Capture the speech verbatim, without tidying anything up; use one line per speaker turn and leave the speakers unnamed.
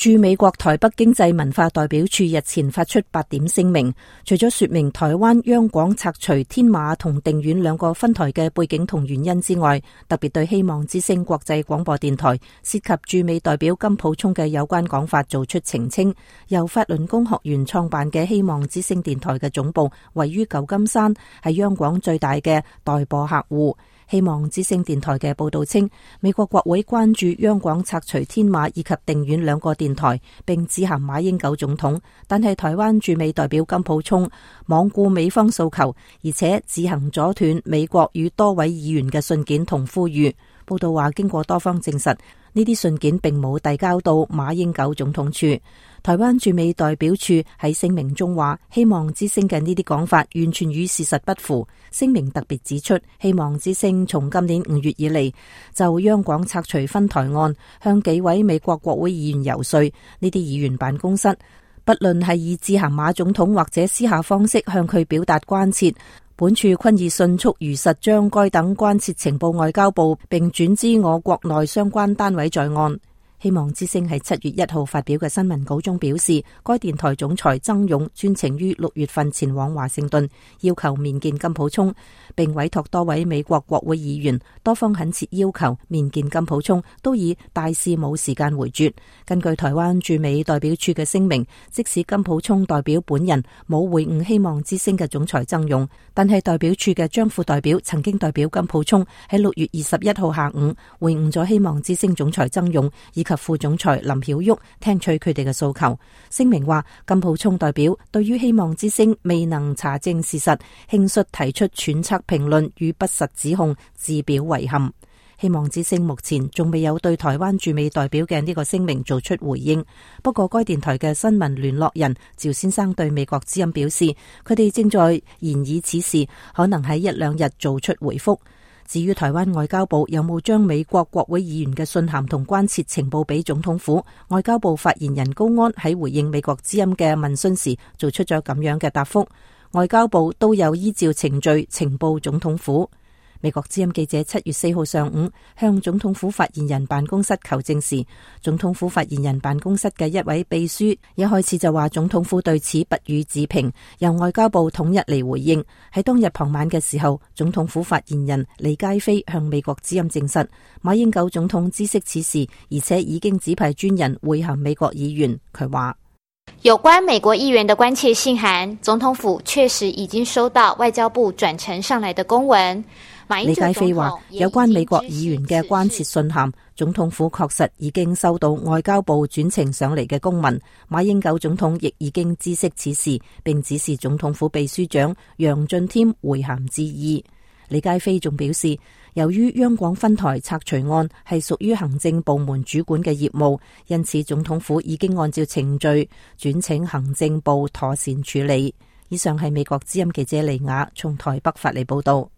駐美國台北經濟文化代表處日前發出八點聲明，除咗說明台灣央廣拆除天馬同定遠兩個分台嘅背景同原因之外，特別對希望之聲國際廣播電台涉及駐美代表金溥聰嘅有關講法做出澄清。由法輪功學員創辦嘅希望之聲電台嘅總部位於舊金山，係央廣最大嘅代播客戶。希望之聲電台嘅報道稱，美國國會關注央廣拆除天馬以及定遠兩個電台，並致函馬英九總統，但係台灣駐美代表金溥聰罔顧美方訴求，而且自行阻斷美國與多位議員嘅信件同呼籲。報道話，經過多方證實，呢啲信件並冇遞交到馬英九總統處。台灣駐美代表處喺聲明中話，希望之聲嘅呢啲講法完全與事實不符。聲明特別指出，希望之聲從今年五月以嚟就央廣拆除分台案向幾位美國國會議員游說，呢啲議員辦公室不論係以致函馬總統或者私下方式向佢表達關切，本處均已迅速如實將該等關切呈報外交部，並轉知我國內相關單位在案。希望之聲喺七月一號發表嘅新聞稿中表示，該電台總裁曾勇專程於六月份前往華盛頓，要求面見金溥聰，並委託多位美國國會議員，多方懇切要求面見金溥聰，都以大事冇時間回絕。根據台灣駐美代表處嘅聲明，即使金溥聰代表本人冇回應希望之聲嘅總裁曾勇，但係代表處嘅張副代表曾經代表金溥聰喺六月二十一號下午回應咗希望之聲總裁曾勇以及及副總裁林曉旭，聽取佢哋嘅訴求。聲明話，金溥聰代表對於希望之聲未能查證事實，輕率提出揣測評論與不實指控，自表遺憾。希望之聲目前仲未有對台灣駐美代表嘅呢個聲明做出回應。不過該電台嘅新聞聯絡人趙先生對美國之音表示，佢哋正在研議此事，可能喺一兩日做出回覆。至於台灣外交部有冇將美國國會議員嘅信函同關切呈報俾總統府，外交部發言人高安喺回應美國之音嘅問詢時做出咗咁樣嘅答覆，外交部都有依照程序呈報總統府。美國之音記者七月四號上午向總統府發言人辦公室求證時，總統府發言人辦公室嘅一位秘書一開始就話總統府對此不予置評，由外交部統一嚟回應。喺當日傍晚嘅時候，總統府發言人李佳飛向美國之音證實，馬英九總統知悉此事，而且已經指派專人會函美國議員。佢話，
有關美國議員的關切信函，總統府確實已經收到外交部轉呈上來的公文。
李佳飛話，有關美國議員嘅關切信函，總統府確實已經收到外交部轉呈上嚟嘅公文。馬英九總統亦已經知悉此事，並指示總統府秘書長楊俊添回函致意。李佳飛仲表示，由於央廣分台拆除案係屬於行政部門主管嘅業務，因此總統府已經按照程序轉請行政部妥善處理。以上係美國之音記者李雅從台北發嚟報道。